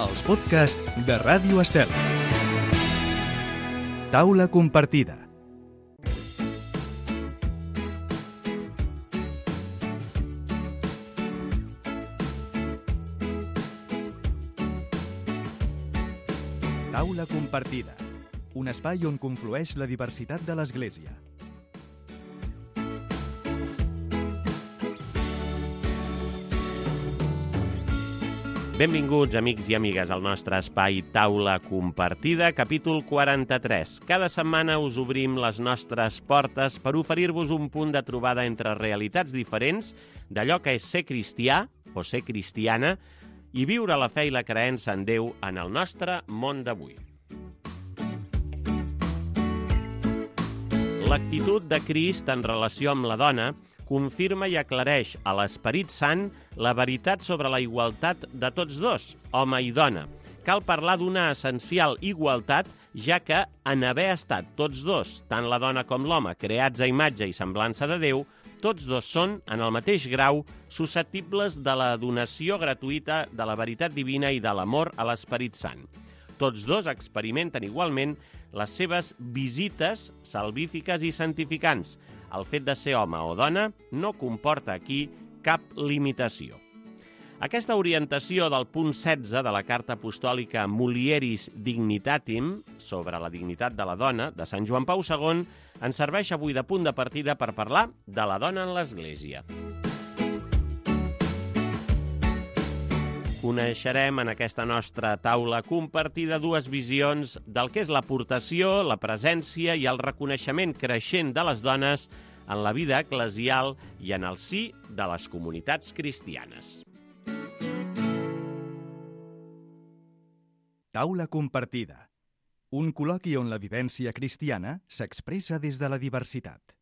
Els podcasts de Ràdio Estel. Taula compartida. Taula compartida. Un espai on conflueix la diversitat de l'Església. Benvinguts, amics i amigues, al nostre espai Taula Compartida, capítol 43. Cada setmana us obrim les nostres portes per oferir-vos un punt de trobada entre realitats diferents d'allò que és ser cristià o ser cristiana i viure la fe i la creença en Déu en el nostre món d'avui. L'actitud de Crist en relació amb la dona confirma i aclareix a l'Esperit Sant la veritat sobre la igualtat de tots dos, home i dona. Cal parlar d'una essencial igualtat, ja que en haver estat tots dos, tant la dona com l'home, creats a imatge i semblança de Déu, tots dos són, en el mateix grau, susceptibles de la donació gratuïta de la veritat divina i de l'amor a l'Esperit Sant. Tots dos experimenten igualment les seves visites salvífiques i santificants. El fet de ser home o dona no comporta aquí cap limitació. Aquesta orientació del punt 16 de la carta apostòlica Mulieris Dignitatim sobre la dignitat de la dona de Sant Joan Pau II ens serveix avui de punt de partida per parlar de la dona en l'Església. Coneixerem en aquesta nostra taula compartida dues visions del que és l'aportació, la presència i el reconeixement creixent de les dones en la vida eclesial i en el si de les comunitats cristianes. Taula compartida. Un col·loqui on la vivència cristiana s'expressa des de la diversitat.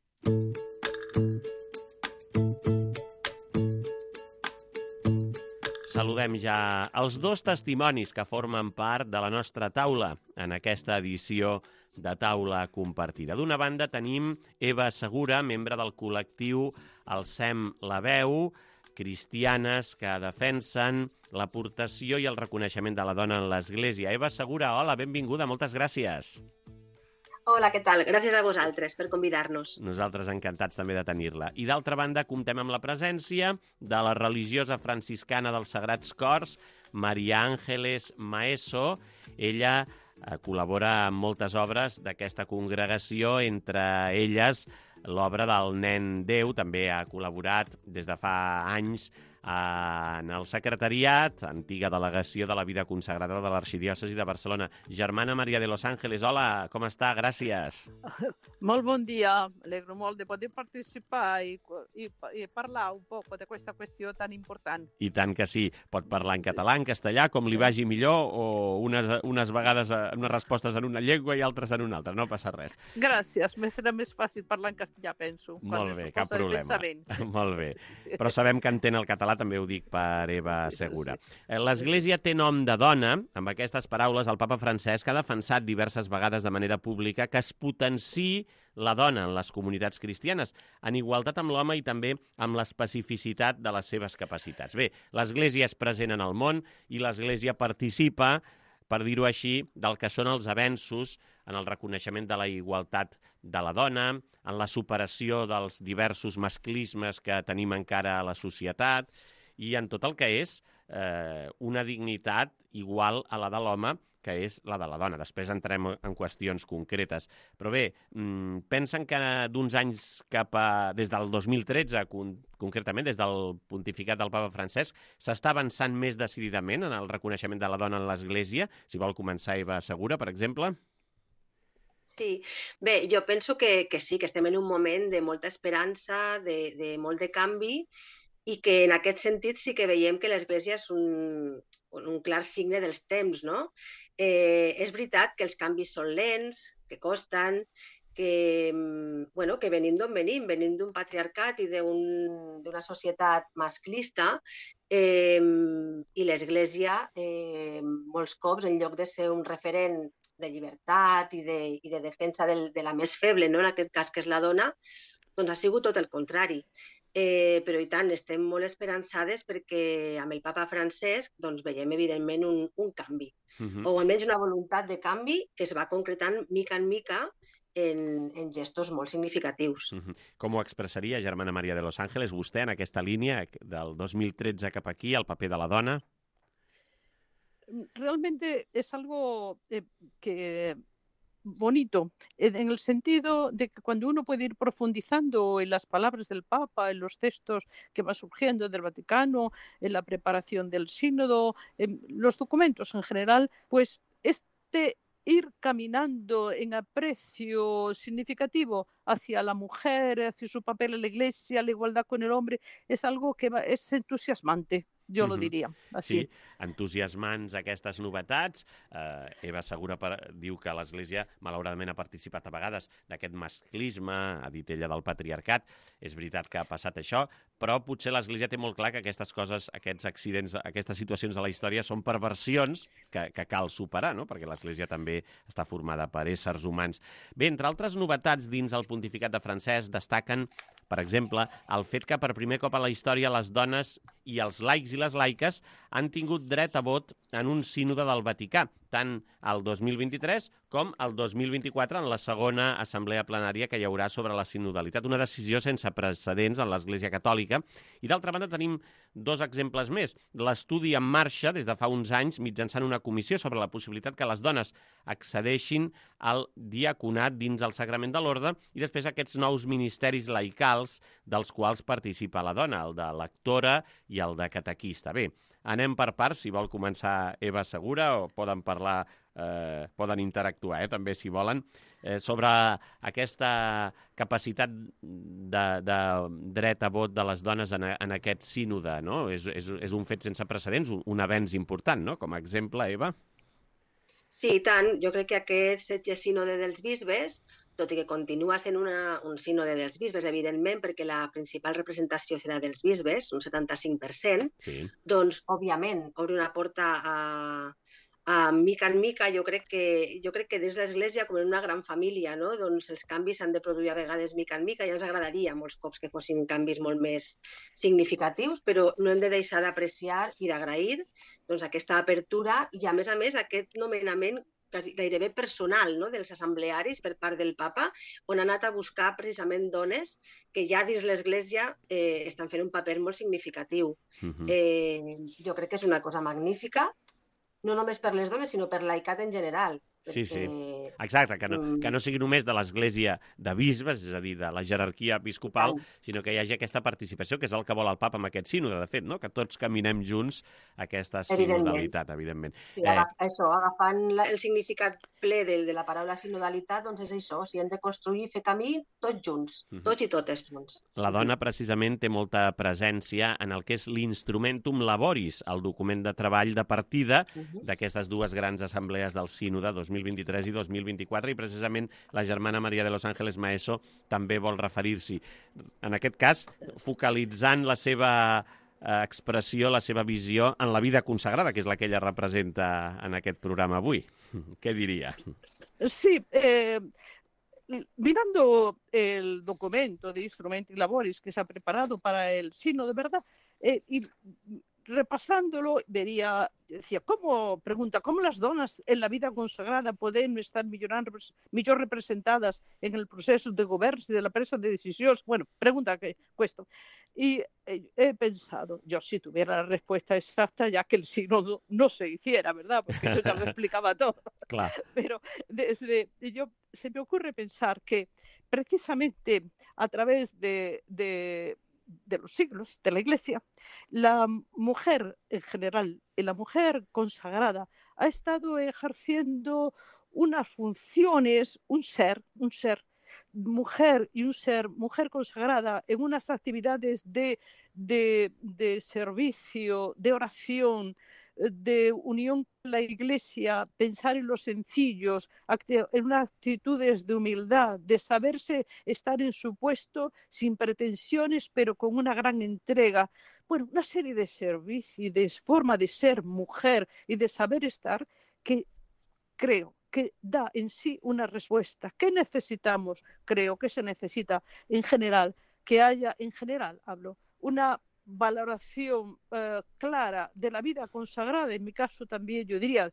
Saludem ja els dos testimonis que formen part de la nostra taula en aquesta edició de Taula Compartida. D'una banda tenim Eva Segura, membre del col·lectiu Alcem la Veu, cristianes que defensen l'aportació i el reconeixement de la dona en l'Església. Eva Segura, hola, benvinguda, moltes gràcies. Hola, què tal? Gràcies a vosaltres per convidar-nos. Nosaltres encantats també de tenir-la. I d'altra banda, comptem amb la presència de la religiosa franciscana dels Sagrats Cors, Maria Ángeles Maeso. Ella col·labora en moltes obres d'aquesta congregació, entre elles l'obra del Nen Déu. També ha col·laborat des de fa anys en el secretariat, antiga delegació de la vida consagrada de l'Arxidiòcesi de Barcelona. Germana Maria de los Ángeles, hola, com està? Gràcies. Molt bon dia, alegro molt de poder participar i parlar un poc d'aquesta qüestió tan important. I tant que sí, pot parlar en català, en castellà, com li vagi millor, o unes vegades unes respostes en una llengua i altres en una altra, no passa res. Gràcies, me serà més fàcil parlar en castellà, penso. Molt bé, cap problema. Molt bé, però sabem que entén el català, també ho dic per Eva Segura. L'Església té nom de dona. Amb aquestes paraules, el papa Francesc ha defensat diverses vegades de manera pública que es potenciï la dona en les comunitats cristianes, en igualtat amb l'home i també amb l'especificitat de les seves capacitats. Bé, l'Església és present en el món i l'Església participa, per dir-ho així, del que són els avenços en el reconeixement de la igualtat de la dona, en la superació dels diversos masclismes que tenim encara a la societat i en tot el que és una dignitat igual a la de l'home, que és la de la dona. Després entrem en qüestions concretes. Però bé, pensen que d'uns anys des del 2013, concretament des del pontificat del papa Francesc, s'està avançant més decididament en el reconeixement de la dona en l'Església? Si vol començar Eva Segura, per exemple. Sí, bé, jo penso que sí, que estem en un moment de molta esperança, de molt de canvi, i que en aquest sentit sí que veiem que l'Església és un clar signe dels temps, no? És veritat que els canvis són lents, que costen, que venim d'on venim d'un patriarcat i d'una societat masclista, i l'Església, molts cops, en lloc de ser un referent de llibertat i de defensa de la més feble, no? En aquest cas que és la dona, doncs ha sigut tot el contrari. però i tant, estem molt esperançades perquè amb el papa Francesc doncs, veiem evidentment un canvi, o almenys una voluntat de canvi que es va concretant mica en mica en gestos molt significatius. Com ho expressaria, germana Maria de Los Ángeles, vostè en aquesta línia del 2013 cap aquí, el paper de la dona? Realmente es algo que bonito, en el sentido de que cuando uno puede ir profundizando en las palabras del Papa, en los textos que van surgiendo del Vaticano, en la preparación del sínodo, en los documentos en general, pues ir caminando en aprecio significativo hacia la mujer, hacia su papel en la Iglesia, la igualdad con el hombre, es algo que es entusiasmante. Jo lo diria, així. Sí, entusiasmants aquestes novetats. Eva Segura diu que l'Església, malauradament, ha participat a vegades d'aquest masclisme, ha dit ella, del patriarcat. És veritat que ha passat això, però potser l'Església té molt clar que aquestes coses, aquests accidents, aquestes situacions de la història són perversions que cal superar, no? Perquè l'Església també està formada per éssers humans. Bé, entre altres novetats dins el pontificat de Francesc destaquen, per exemple, el fet que per primer cop a la història les dones i els laics i les laiques han tingut dret a vot en un sínode del Vaticà, tant el 2023 com el 2024 en la segona assemblea plenària que hi haurà sobre la sinodalitat. Una decisió sense precedents en l'Església Catòlica. I d'altra banda tenim dos exemples més. L'estudi en marxa des de fa uns anys mitjançant una comissió sobre la possibilitat que les dones accedeixin al diaconat dins el sagrament de l'orde i després aquests nous ministeris laicals dels quals participa la dona, el de lectora i el de catequista. Bé, anem per parts, si vol començar Eva Segura, o poden parlar, poden interactuar, també, si volen, sobre aquesta capacitat de dret a vot de les dones en aquest sínode, no? És un fet sense precedents, un avenç important, no? Com a exemple, Eva. Sí, i tant. Jo crec que aquest setge sínode dels bisbes, tot i que continua sent un sínode dels bisbes, evidentment, perquè la principal representació serà dels bisbes, un 75%, sí. Doncs, òbviament, obre una porta a mica en mica. Jo crec que des de l'Església, com en una gran família, no? Doncs els canvis s'han de produir a vegades mica en mica, i ens agradaria molts cops que fossin canvis molt més significatius, però no hem de deixar d'apreciar i d'agrair doncs, aquesta apertura i, a més, aquest nomenament gairebé personal, no? Dels assemblearis per part del papa, on ha anat a buscar precisament dones que ja dins l'Església estan fent un paper molt significatiu. Jo crec que és una cosa magnífica, no només per les dones, sinó per laicat en general. Sí, sí. Exacte, que no sigui només de l'Església de bisbes, és a dir, de la jerarquia episcopal, sinó que hi hagi aquesta participació, que és el que vol el papa amb aquest sínode, de fet, no? Que tots caminem junts aquesta sinodalitat, evidentment. Sí, això, agafant el significat ple de la paraula sinodalitat, doncs és això, si hem de construir i fer camí tots junts, tots i totes junts. La dona, precisament, té molta presència en el que és l'Instrumentum Laboris, el document de treball de partida d'aquestes dues grans assemblees del sínode 2023 i 2024, i precisament la germana Maria de Los Ángeles Maeso també vol referir-s'hi. En aquest cas, focalitzant la seva expressió, la seva visió en la vida consagrada, que és la que ella representa en aquest programa avui. ¿Qué diría? Sí, mirando el documento de Instrumenti Laboris que se ha preparado para el sínodo, de verdad, y repasándolo, decía, ¿cómo las donas en la vida consagrada pueden estar millor representadas en el proceso de govern y de la presa de decisiones? Bueno, pregunta que esto. Y he pensado, yo si tuviera la respuesta exacta, ya que el sínodo no se hiciera, ¿verdad? Porque yo ya lo explicaba todo. Claro. Pero se me ocurre pensar que precisamente a través de los siglos de la Iglesia, la mujer en general y la mujer consagrada ha estado ejerciendo unas funciones, un ser mujer y un ser mujer consagrada en unas actividades de servicio, de oración, de unión con la Iglesia, pensar en los sencillos, en unas actitudes de humildad, de saberse estar en su puesto sin pretensiones, pero con una gran entrega. Bueno, una serie de servicios, de forma de ser mujer y de saber estar que creo que da en sí una respuesta. ¿Qué necesitamos? Creo que se necesita en general que haya, en general hablo, una valoración clara de la vida consagrada, en mi caso también yo diría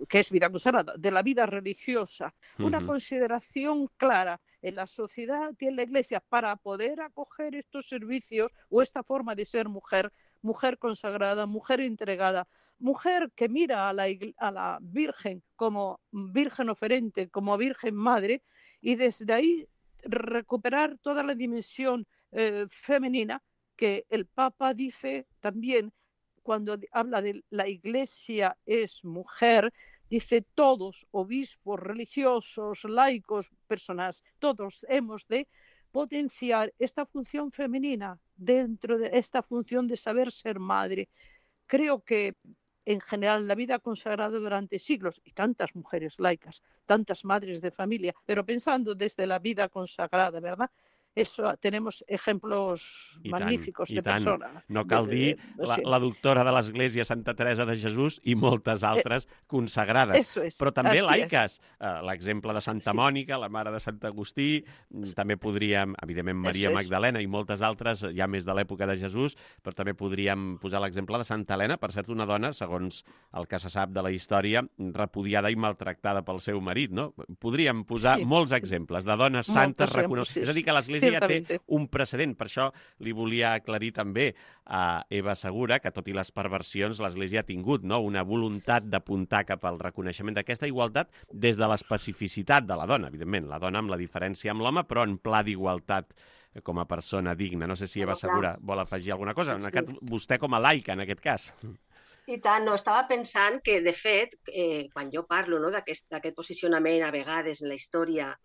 que es vida consagrada, de la vida religiosa, una consideración clara en la sociedad y en la Iglesia para poder acoger estos servicios o esta forma de ser mujer, mujer consagrada, mujer entregada, mujer que mira a la Virgen como Virgen oferente, como Virgen Madre, y desde ahí recuperar toda la dimensión femenina que el Papa dice también cuando habla de la Iglesia es mujer, dice todos, obispos, religiosos, laicos, personas, todos hemos de potenciar esta función femenina dentro de esta función de saber ser madre. Creo que en general la vida consagrada durante siglos y tantas mujeres laicas, tantas madres de familia, pero pensando desde la vida consagrada, ¿verdad? Eso, tenemos ejemplos magníficos de persones. No cal dir la doctora de l'Església Santa Teresa de Jesús i moltes altres consagrades, però també laiques. L'exemple de Santa Mònica, la mare de Sant Agustí, també podríem, evidentment, Maria Magdalena i moltes altres, ja més de l'època de Jesús, però també podríem posar l'exemple de Santa Helena, per cert, una dona, segons el que se sap de la història, repudiada i maltractada pel seu marit, no? Podríem posar molts exemples de dones santes reconegudes. És a dir, que l'Església ja té un precedent. Per això li volia aclarir també a Eva Segura que, tot i les perversions, l'Església ha tingut una voluntat d'apuntar cap al reconeixement d'aquesta igualtat des de l'especificitat de la dona. Evidentment, la dona amb la diferència amb l'home, però en pla d'igualtat com a persona digna. No sé si Eva Segura vol afegir alguna cosa. Vostè com a laica, en aquest cas. I tant, no, estava pensant que, de fet, quan jo parlo d'aquest posicionament a vegades en la història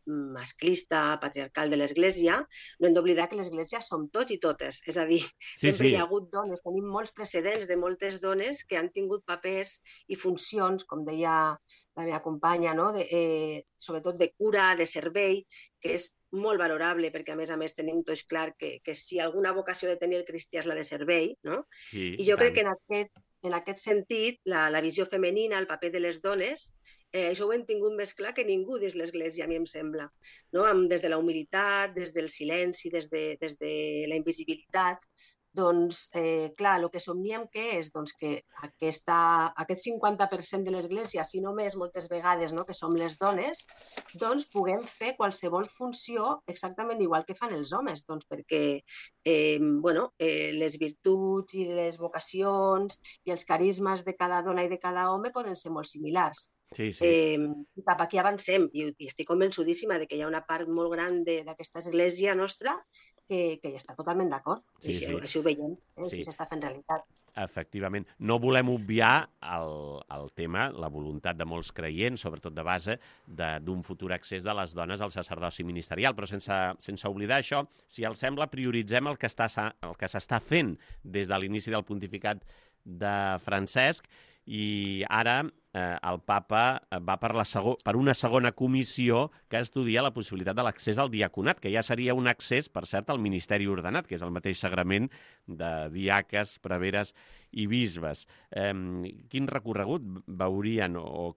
masclista, patriarcal de l'Església, no hem d'oblidar que l'Església som tots i totes. És a dir, sempre hi ha hagut dones, tenim molts precedents de moltes dones que han tingut papers i funcions, com deia la meva companya, sobretot de cura, de servei, que és molt valorable, perquè a més tenim tots clar que si alguna vocació de tenir el cristià és la de servei, no? I jo crec que en aquest sentit, la visió femenina, el paper de les dones, això ho hem tingut més clar que ningú dins l'Església, a mi em sembla. Des de la humilitat, des del silenci, des de la invisibilitat. Doncs, clar, el que somniem què és? Doncs que aquest 50% de l'Església, si no més, moltes vegades, que som les dones, doncs puguem fer qualsevol funció exactament igual que fan els homes, doncs perquè les virtuts i les vocacions i els carismes de cada dona i de cada home poden ser molt similars. Cap aquí avancem i estic convençudíssima que hi ha una part molt gran d'aquesta església nostra que ja està totalment d'acord. Així ho veiem, si s'està fent realitat. Efectivament. No volem obviar el tema, la voluntat de molts creients, sobretot de base, d'un futur accés de les dones al sacerdoci ministerial, però sense oblidar això, si els sembla, prioritzem el que s'està fent des de l'inici del pontificat de Francesc i ara el papa va per una segona comissió que estudia la possibilitat de l'accés al diaconat, que ja seria un accés, per cert, al ministeri ordenat, que és el mateix sagrament de diaques, preveres i bisbes. Quin recorregut veurien o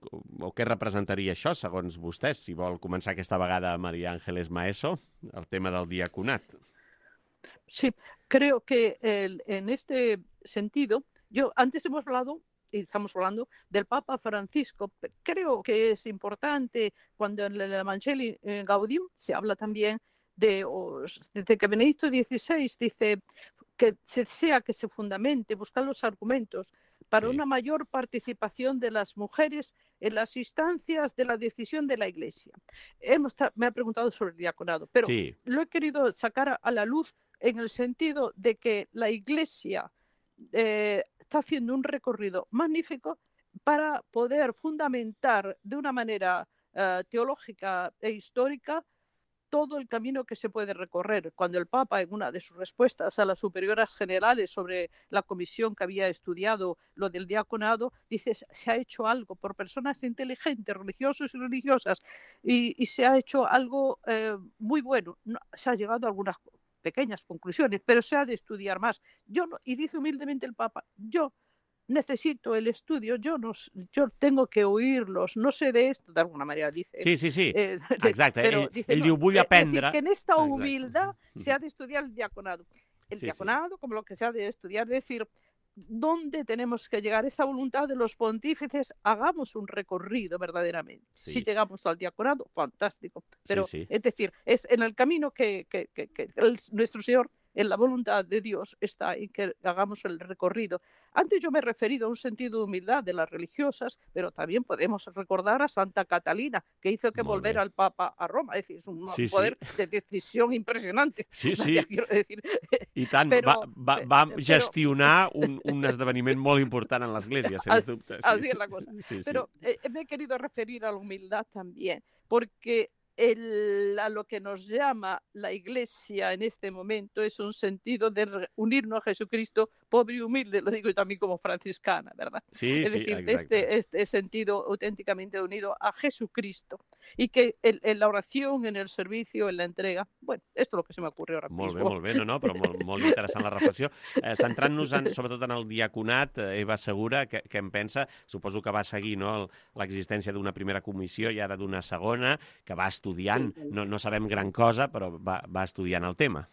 què representaria això, segons vostès? Si vol començar aquesta vegada María Ángeles Maeso, el tema del diaconat. Sí, creo que en este sentido, antes hemos hablado y estamos hablando del Papa Francisco. Creo que es importante cuando en el Evangelii Gaudium se habla también de que Benedicto XVI dice que se desea que se fundamente, buscar los argumentos para una mayor participación de las mujeres en las instancias de la decisión de la Iglesia. Me ha preguntado sobre el diaconado, pero lo he querido sacar a la luz en el sentido de que la Iglesia está haciendo un recorrido magnífico para poder fundamentar de una manera teológica e histórica todo el camino que se puede recorrer. Cuando el Papa, en una de sus respuestas a las superioras generales sobre la comisión que había estudiado lo del diaconado, dice, se ha hecho algo por personas inteligentes, religiosos y religiosas, y se ha hecho algo muy bueno. Se ha llegado a algunas pequeñas conclusiones, pero se ha de estudiar más. Y dice humildemente el Papa, yo necesito el estudio, yo tengo que oírlos, no sé de esto, de alguna manera dice. Sí. Exacte. Ell diu, vull aprendre. Que en esta humildad se ha de estudiar el diaconado. El diaconado, como lo que se ha de estudiar, es decir, ¿dónde tenemos que llegar? Esta voluntad de los pontífices, hagamos un recorrido verdaderamente. Sí. Si llegamos al diaconado, fantástico. Pero, Sí. es decir, es en el camino que nuestro Señor, en la voluntad de Dios, está en que hagamos el recorrido. Antes yo me he referido a un sentido de humildad de las religiosas, pero también podemos recordar a Santa Catalina, que hizo que volver al Papa a Roma. Es decir, es un poder de decisión impresionante. Sí. Quiero decir. I tant, va gestionar un esdeveniment molt important en l'Església, sens dubte. Así es la cosa. Pero me he querido referir a la humildad también, porque a lo que nos llama la Iglesia en este momento es un sentido de unirnos a Jesucristo, pobre y humilde, lo digo yo también como franciscana, ¿verdad? Es decir, este sentido auténticamente unido a Jesucristo, y que en la oración, en el servicio, en la entrega, bueno, esto es lo que se me ocurre ahora mismo. Molt bé, no, però molt interessant la reflexió. Centrant-nos sobretot en el diaconat, Eva Segura, què en pensa? Suposo que va seguir l'existència d'una primera comissió i ara d'una segona, que va estudiant, no sabem gran cosa, però va estudiant el tema.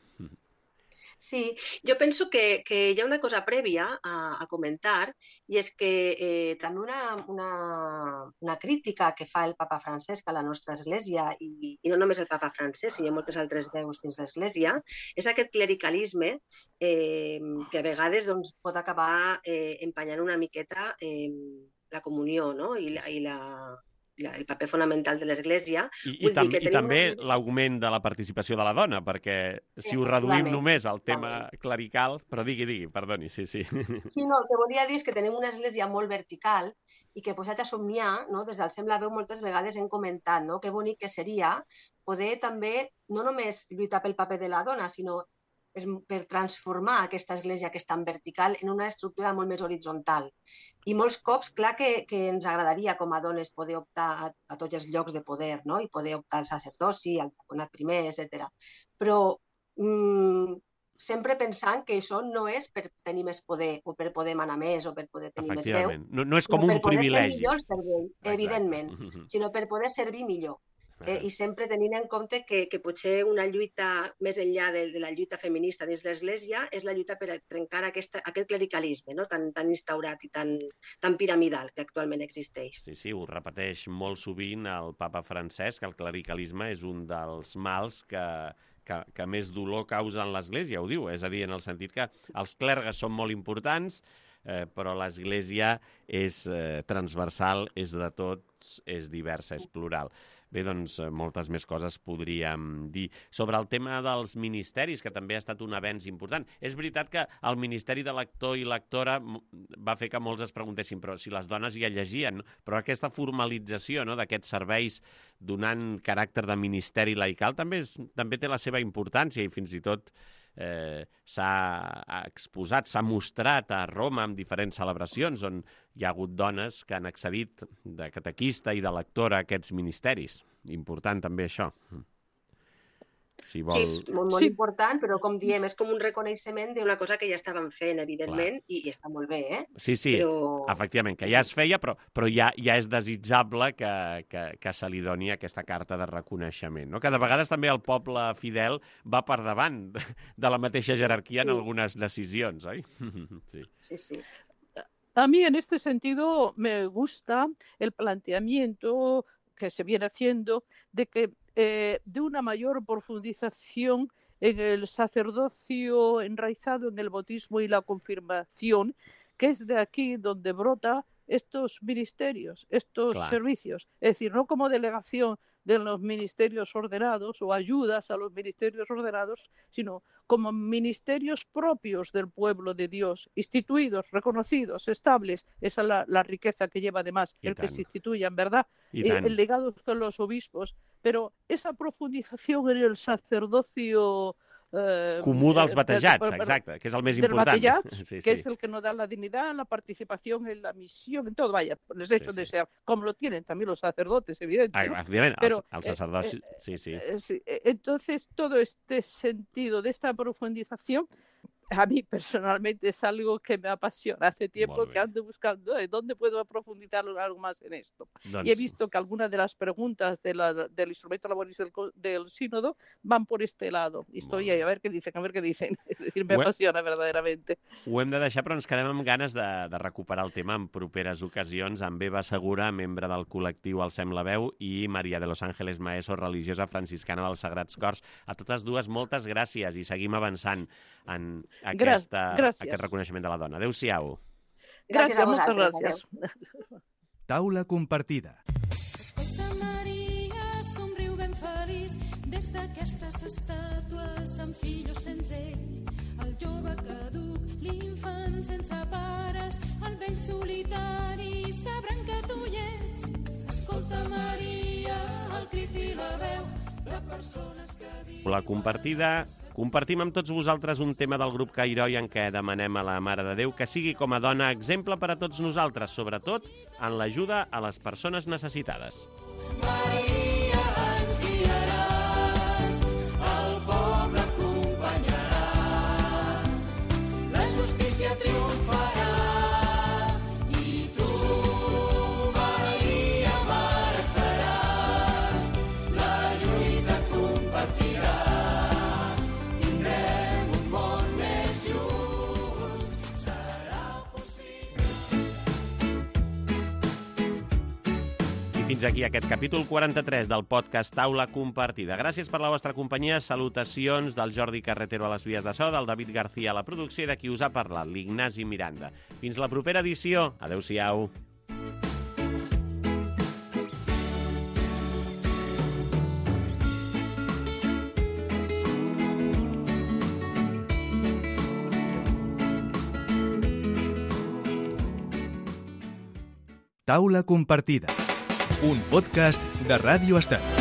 Sí, yo pienso que hi ha una cosa prèvia a comentar, i és que també una crítica que fa el papa Francesc a la nostra Església, i no només el papa Francesc, sinó moltes altres veus dins l'Església, és aquest clericalisme que a vegades pot acabar empanyant una miqueta la comunió, no? I el paper fonamental de l'Església. I també l'augment de la participació de la dona, perquè si ho reduïm només al tema clerical... Però digui, perdoni, sí. Sí, no, el que volia dir és que tenim una Església molt vertical i que posat a somniar, des del Sembla Veu moltes vegades hem comentat que bonic que seria poder també no només lluitar pel paper de la dona, sinó per transformar aquesta església que és tan vertical en una estructura molt més horitzontal. I molts cops, clar que ens agradaria com a dones poder optar a tots els llocs de poder, i poder optar al sacerdoci, al diaconat primer, etc. Però sempre pensant que això no és per tenir més poder o per poder manar més o per poder tenir més veu. No és com un privilegi. Per poder fer millor el servei, evidentment, sinó per poder servir millor. I sempre tenint en compte que potser una lluita més enllà de la lluita feminista dins l'Església és la lluita per trencar aquest clericalisme tan instaurat i tan piramidal que actualment existeix. Sí, ho repeteix molt sovint el papa Francesc, que el clericalisme és un dels mals que més dolor causa en l'Església, ho diu, és a dir, en el sentit que els clergues són molt importants, però l'Església és transversal, és de tots, és diversa, és plural. Bé, doncs, moltes més coses podríem dir. Sobre el tema dels ministeris, que també ha estat un avenç important. És veritat que el ministeri de lector i lectora va fer que molts es preguntessin però si les dones ja llegien, però aquesta formalització d'aquests serveis donant caràcter de ministeri laical també té la seva importància i fins i tot s'ha exposat, s'ha mostrat a Roma en diferents celebracions on hi ha hagut dones que han accedit de catequista i de lectora a aquests ministeris. Important també això. Si vol... És molt important, però com diem, és com un reconeixement d'una cosa que ja estàvem fent, evidentment, i està molt bé, Sí, efectivament, que ja es feia, però ja és desitjable que se li doni aquesta carta de reconeixement. Que de vegades també el poble fidel va per davant de la mateixa jerarquia en algunes decisions, oi? Sí. A mí en este sentido me gusta el planteamiento que se viene haciendo de que de una mayor profundización en el sacerdocio enraizado en el bautismo y la confirmación, que es de aquí donde brota estos ministerios, estos servicios. Es decir, no como delegación de los ministerios ordenados o ayudas a los ministerios ordenados, sino como ministerios propios del pueblo de Dios, instituidos, reconocidos, estables. Esa es la riqueza que lleva además el que se instituyan, ¿verdad? El legado con los obispos. Pero esa profundización en el sacerdocio comú dels batejats, exacte, que és el més important. Batejats, que es el que nos da la dignidad, la participación en la misión, en todo, vaya, les hecho de ser, como lo tienen también los sacerdotes, evidentemente. Pero el sacerdote, sí. Entonces, todo este sentido de esta profundización a mí personalmente es algo que me apasiona. Hace tiempo que ando buscando dónde puedo profundizar algo más en esto. Y he visto que algunas de las preguntas del instrumento laboris del sínodo van por este lado. I estoy ahí a ver què dicen. Me apasiona verdaderamente. Ho hem de deixar, però ens quedem amb ganes de recuperar el tema en properes ocasions amb Eva Segura, membre del col·lectiu Alcem la Veu, i Maria de los Ángeles Maeso, religiosa franciscana dels Sagrats Cors. A totes dues, moltes gràcies i seguim avançant en aquest reconeixement de la dona. Adéu-siau. Gràcies a vosaltres. Gràcies. Taula compartida. Escolta, Maria, somriu ben feliç des d'aquestes estàtues amb fillos sense ell, el jove caduc, l'infant sense pares, el vell solitari, sabran que tu hi ets. Escolta, Maria, el crit i la veu de persones que viuen... La compartida. Compartim amb tots vosaltres un tema del grup Cairoi en què demanem a la Mare de Déu que sigui com a dona exemple per a tots nosaltres, sobretot en l'ajuda a les persones necessitades. Maria, ens guiaràs, el poble acompanyaràs, la justícia triomfarà i tu, Maria, mare seràs, la lluita compartiràs, tindrem un món més just, serà possible. I fins aquí aquest capítol 43 del podcast Taula Compartida. Gràcies per la vostra companyia. Salutacions del Jordi Carretero a les vies de so, del David García a la producció i de qui us ha parlat, l'Ignasi Miranda. Fins la propera edició. Adéu-siau. Taula compartida. Un podcast de Ràdio Estat.